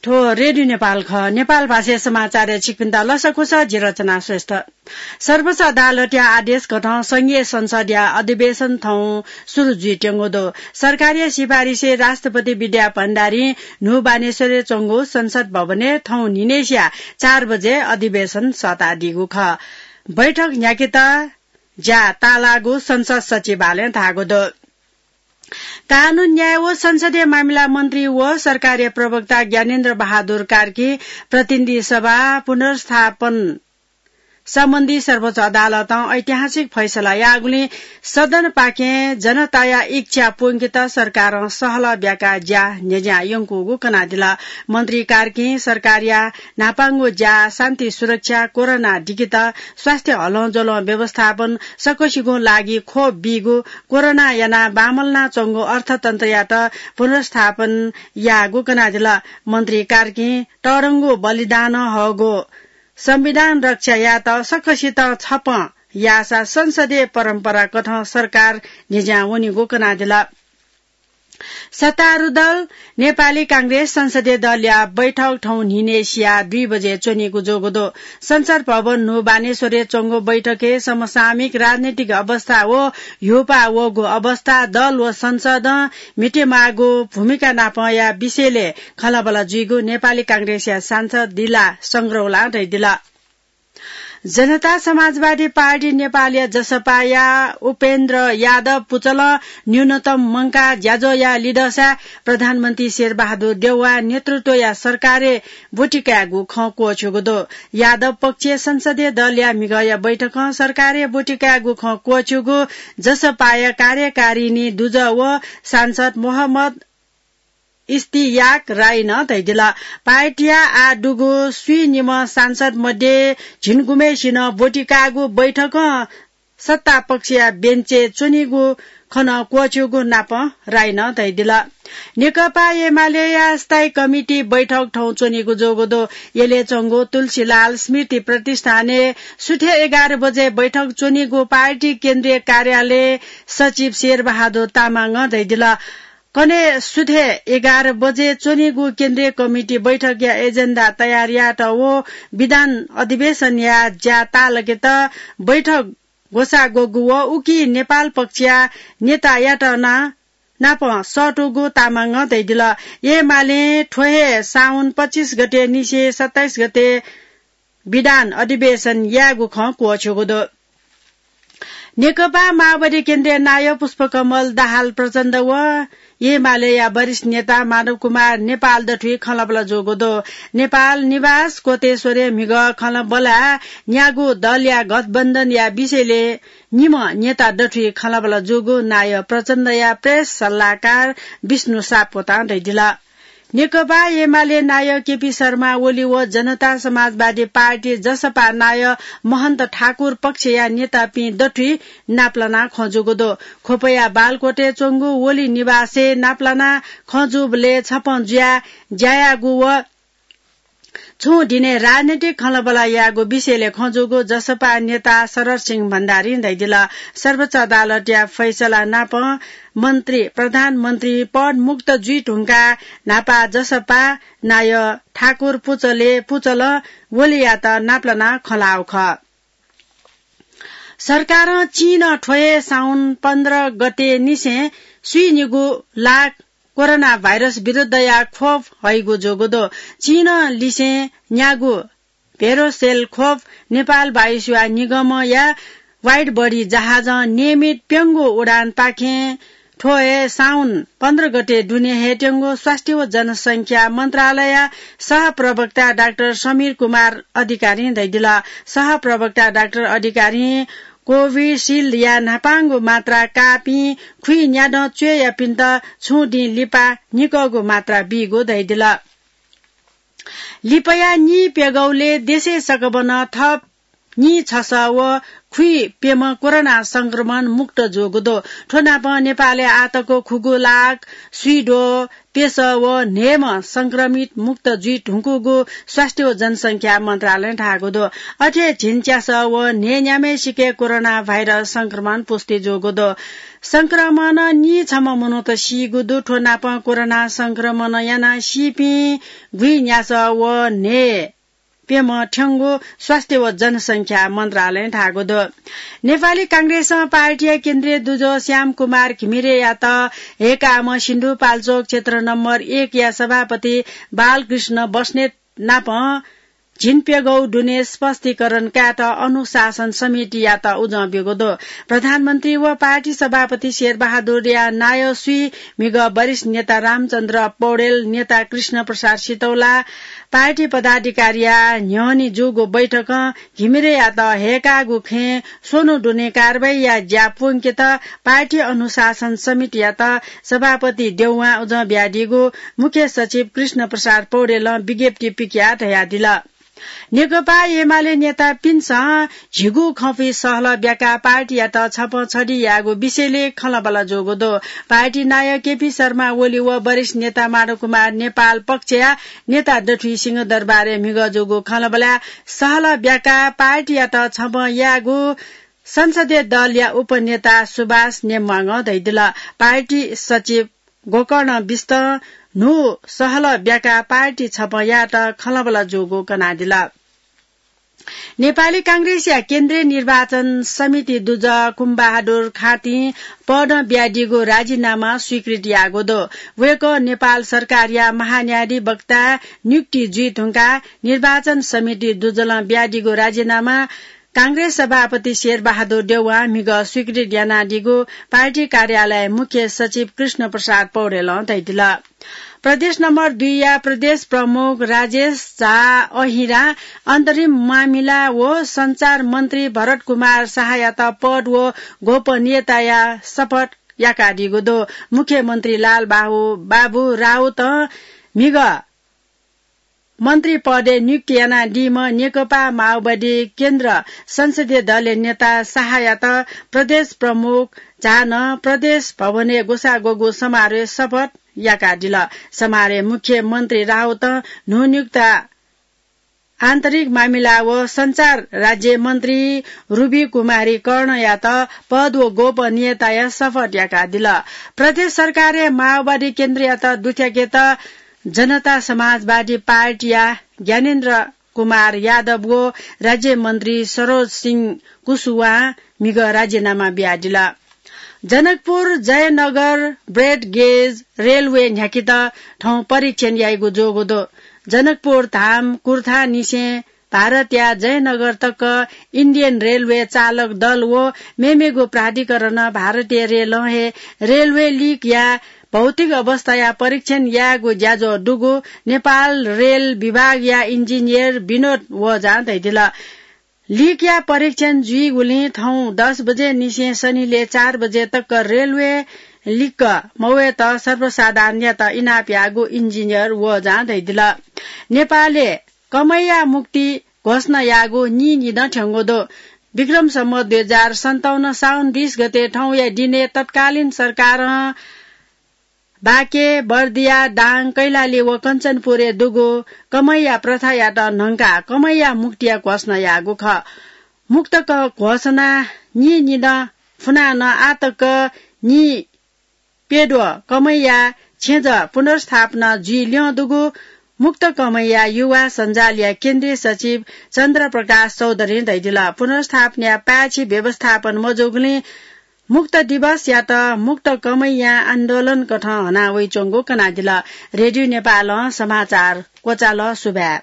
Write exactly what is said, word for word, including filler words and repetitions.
थ्व रेडियो नेपाल खः। नेपाल भाषाया समाचारय् छिकपिन्त लसकुस, जि रचना श्रेष्ठ। सर्वोच्च अदालतया आदेश कथं संघीय संसदया अधिवेशन थौं सुरु जुइत्यंगु दु। सरकारया सिफारिसय् राष्ट्रपति विद्या भण्डारीं न्हू बानेश्वरय् च्वंगु संसद भवनय् थौं न्हिनय्सिया चार बजे अधिवेशन सःतादीगु खः। बैठक न्ह्याकेत ज्या ताःलाःगु संसद सचिवालयं धाःगु दु। कानून, न्याय व संसदीय मामिला मन्त्री व सरकारया प्रवक्ता ज्ञानेन्द्र बहादुर कार्की प्रतिनिधि सभा पुनर्स्थापन सम्बन्धी सर्वोच्च अदालतं ऐतिहासिक फैसला याःगुलिं सदनपाखें जनताया इच्छा प्वंकेत सरकारं सहलह ब्याकाः ज्या न्ह्यज्यां यंकूगु कनादिल। मन्त्री कार्कीं सरकारया न्हापांगु ज्या शान्ति सुरक्षा, कोरोना दिकेत स्वास्थ्य हलंज्वलं व्यवस्थापन, सकसिगुं लागि खोप बीगु, कोरोना यानाः बांमलानाच्वंगु अर्थतन्त्रयात पुनर्स्थापन याःगु कनादिल। मन्त्री कार्कीं तःधंगु बलिदानं हःगु संविधान रक्षा यायेत सकसितं छपँ याःसा संसदीय परम्परा कथं सरकार न्ह्यज्यां वनीगु कनादिल। सत्तारूढ दल नेपाली कांग्रेस संसदीय दलया बैठक थौं न्हिनय्सिया दुई बजे च्वनीगु जूगु दु। संसद भवन न्हू बानेश्वरय् च्वंगु बैठकय् समसामयिक राजनीतिक अवस्था व ह्यूपाः वःगु अवस्था, दल व संसदं म्हितेमाःगु भूमिका नापंया विषयलय् खँल्हाबल्हा जुइगु नेपाली कांग्रेसया सांसद दिला संग्रौलां धयादिल। जनता समाजवादी पार्टी नेपालया जसपाया उपेन्द्र यादव पुचलं न्यूनतम मंकाः ज्याझ्वः याः लिधंसा प्रधानमन्त्री शेरबहादुर देउवाया नेतृत्वया सरकारय् ब्वति कायेगु खँ क्वःछ्यूगु दु। यादव पक्षय् संसदीय दलया म्हिगःया बैठकं सरकारय् ब्वति कायेगु खँ क्वःछ्यूगु जसपाया कार्यकारिणी दुजः व सांसद मोहम्मद इस्तियाक राईनं धयादिल। पार्टीया आः दुगु स्वीनिम्ह सांसद मध्ये झिंगुम्हय्सिनं ब्वति काःगु बैठकं सत्ता पक्षया बेन्चय् च्वनीगु खँ नं क्वःछ्यूगु नापं राईनं धयादिल। नेकपा एमालेया स्थायी कमिटी बैठक थौं च्वनीगु जूगु दु। यलय् च्वंगु तुलसीलाल स्मृति प्रतिष्ठानय् सुथय् एघार बजे बैठक च्वनीगु पार्टी केन्द्रीय कार्यालय सचिव शेरबहादुर तामाङं धयादिल। कन्हय् सुथय् एघार बजे च्वनीगु केन्द्रीय कमिटी बैठकया एजेन्डा तयार यायेत व विधान अधिवेशनया ज्या ताःलाकेत बैठक ग्वसाः ग्वःगु व उकी नेपाल पक्षया नेतायात नं नापं सःतूगु तामाङं धयादिल। एमालें थ्व हे साउन पच्चिस गते निसें सत्ताइस गते विधान अधिवेशन यायेगु खँ क्वःछ्यूगु दु। नेकपा माओवादी केन्द्रीय नायः पुष्पकमल दाहाल प्रचण्ड व एमालेया वरिष्ठ नेता माधव कुमार नेपाल दथुइ खँल्हाबल्हा जूगु दु। नेपाल निवास कोटेश्वरय् म्हिगः खँल्हाबल्हाय् न्यागू दलया गठबन्धनया विषयलय् निम्ह नेता दथुइ खँल्हाबल्हा जूगु नायः प्रचण्डया प्रेस सल्लाहकार विष्णु सापकोटां धयादिल। नेकपा एमाले नायः केपी शर्मा ओली व जनता समाजवादी पार्टी जसपा नायः महन्त ठाकुर पक्षया नेतापिं दथुइ नापलानाः खँ जूगु दु। ख्वपया बालकोटय् च्वंगु ओली निवासय् नापलानाः खँ जूबलय् छपँ जुयाः ज्या याःगु व छुं दिनय् राजनीतिक खँल्हाबल्हा याःगु विषयलय् खँ जूगु जसपा नेता शरद सिंह भण्डारीं धयादिल। सर्वोच्च अदालतया फैसला नापं मन्त्री, प्रधानमन्त्री पद मुक्त जुइ धुंकाः न्हापा जसपा नायः ठाकुर पुचले, पुचलं ओलीयात नापलानाः खँ ल्हाःगु खः। सरकारं चीनं थ्व हे साउन पन्ध्र गते निसें स्वीनिगू लाख कोरोना भाइरस विरुद्धया खोप हइगु जूगु दु। चीनं लिसें न्यागू भेरोसेल खोप नेपाल वायुसेवा निगमया वाइड बडी जहाजं नियमित प्यंगू उडानपाखें थ्व हे साउन पन्ध्र गते दुने हयेत्यंगु स्वास्थ्य व जनसंख्या मन्त्रालयया सहप्रवक्ता डाक्टर समीर कुमार अधिकारीं धयादिल। सहप्रवक्ता डाक्टर अधिकारीं कोभिसिल्डया न्हापांगु मात्रा काःपिं खुइन्यादँ च्वय्‌यापिन्त छुं दिं लिपा निकःगु मात्रा बीगु धयादिल। लिपया निप्यघौलय् देशय् सकभनं थप नीछसः व खुइप्यम्ह कोरोना संक्रमण मुक्त जूगु दु। थ्व नापं नेपालय् आःतक खुगू लाख स्वीद्वः प्यसः व न्हय्म्ह संक्रमित मुक्त जुइ धुंकूगु स्वास्थ्य व जनसंख्या मन्त्रालयं धाःगु दु। अथे झिंच्यासः व न्हय्न्याम्हय्सिके कोरोना भाइरस संक्रमण पुष्टि जूगु दु। संक्रमणं नीछम्ह मनूत सीगु दु। थ्व नापं कोरोना संक्रमण यानाः सीपिं गुइन्यासः व न्हय् प्यम्ह थ्यंगु स्वास्थ्य व जनसंख्या मन्त्रालयं धाःगु दु। नेपाली कांग्रेसं पार्टीया केन्द्रीय दुजः श्याम कुमार घिमिरेयात हय्काःम्ह सिन्धुपाल्चोक क्षेत्र नम्बर एकया सभापति बालकृष्ण बस्नेत नाप झिंप्यघौ दुने स्पष्टीकरण कायेत अनुशासन समितियात उजं ब्यूगु दु। प्रधानमन्त्री व पार्टी सभापति शेरबहादुरया नायः स्वीम्हिगः वरिष्ठ नेता रामचन्द्र पौडेल, नेता कृष्ण प्रसाद सितौला, पार्टी पदाधिकारीया न्ह्यःने जूगु बैठकं घिमिरेयात हय्काःगु खँय् स्वन्हु दुने कारवाहीया ज्या प्वंकेत पार्टी अनुशासन समितियात सभापति देउवां उजं बियादीगु मुख्य सचिव कृष्ण प्रसाद पौडेलं विज्ञप्ति पिकयाः धयादिल। नेकपा एमाले नेतापिन्सं झिगू खँपुइ सहलह ब्याकाः पार्टीयात छपं छधी यायेगु विषयलय् खँल्हाबल्हा जूगु दु। पार्टी नायः केपी शर्मा ओली व वरिष्ठ नेता माधव कुमार नेपाल पक्षया नेता दथुइ सिंहदरबारय् म्हिगः जूगु खँल्हाबल्हाय् सहलह ब्याकाः पार्टीयात छपं यायेगु संसदीय दलया उपनेता सुभाष नेम्वाङं धयादिल। पार्टी सचिव गोकर्ण बिष्टं न्हू सहलह ब्याकाः पार्टी छपं यायेत खँल्हाबल्हा जूगु कनादिल। नेपाली कांग्रेसया केन्द्रीय निर्वाचन समिति दुजः कुमबहादुर खाँतिं पदं बियादीगु राजीनामा स्वीकृत याःगु दु। वय्कः नेपाल सरकारया महान्यायाधिवक्ता नियुक्ति जुइ धुंकाः निर्वाचन समिति दुजलं बियादीगु राजीनामा कांग्रेस सभापति शेरबहादुर देउवां म्हिगः स्वीकृत यानादीगु पार्टी कार्यालय मुख्य सचिव कृष्ण प्रसाद पौडेलं धयादिल। प्रदेश नम्बर दुईया प्रदेश प्रमुख राजेश झा अहिरां अन्तरिम मामिला व सञ्चार मन्त्री भरत कुमार शाहयात पद व गोपनीयताया शपथ याकादीगु दु। मुख्यमन्त्री लाल बाहु-, बाबु राउतं म्हिगः मन्त्री पदय् नियुक्ति यानादीम्ह नेकपा माओवादी केन्द्र संसदीय दलया नेता शाहयात प्रदेश प्रमुख झानं प्रदेश भवनय् ग्वसाः ग्वःगु समारोहय् शपथ याकादिल। समारोहय् मुख्यमन्त्री राउतं न्हूनियुक्त आन्तरिक मामिला व सञ्चार राज्य मन्त्री रुबी कुमारी कर्णयात पद व गोपनीयताया शपथ याकादिल। प्रदेश सरकारय् माओवादी केन्द्रयात दुथ्याकेत जनता समाजवादी पार्टीया ज्ञानेन्द्र कुमार यादव व राज्य मन्त्री सरोज सिंह कुशवाहां म्हिगः राजीनामा बियादिल। जनकपुर जयनगर ब्रेड गेज रेलवे न्ह्याकेत थौं परीक्षण याइगु जूगु दु। जनकपुर धाम कुर्थानिसें भारतया जयनगर तक इन्डियन रेलवे चालक दल व मेमेगु प्राधिकरणं भारतीय रेलं हे रेलवे लिकया भौतिक अवस्थाया परीक्षण यायेगु ज्याझ्वः दुगु नेपाल रेल विभागया इन्जिनियर विनोद ओझां धयादिल। लिकया परीक्षण जुइगुलिं थौं दस बजे निसें सनिलय् चार बजे तक रेलवे लिक मवयेत सर्वसाधारणयात इनाप याःगु इन्जिनियर ओझां धयादिल। नेपालय् कमैया मुक्ति घोषणा याःगु नीनिदँ थ्यंगु दु। विक्रम सम्वत दुई हजार सन्ताउन्न साउन बीस गते थौंया दिनय् तत्कालीन सरकारं बाँके, बर्दिया, दाङ, कैलाली व कञ्चनपुरय् दुगु कमैया प्रथायात न्हंकाः कमैया मुक्तिया घोषणा याःगु खः। मुक्तक घोषणा नीनिदँ फुनाः नं आःतक नीप्यद्वः कमैया छेँजः पुनर्स्थापना जुइ ल्यं दुगु मुक्त कमैया युवा सञ्जालया केन्द्रीय सचिव चन्द्र प्रकाश चौधरीं धयादिल। पुनर्स्थापनाया पाय्छि व्यवस्थापन मजूगुलिं मुक्त दिवसयात मुक्त कमैया आन्दोलनकथं हना वइच्वंगु कनादिल। रेडियो नेपालं समाचार क्वचाल। सुभाय्।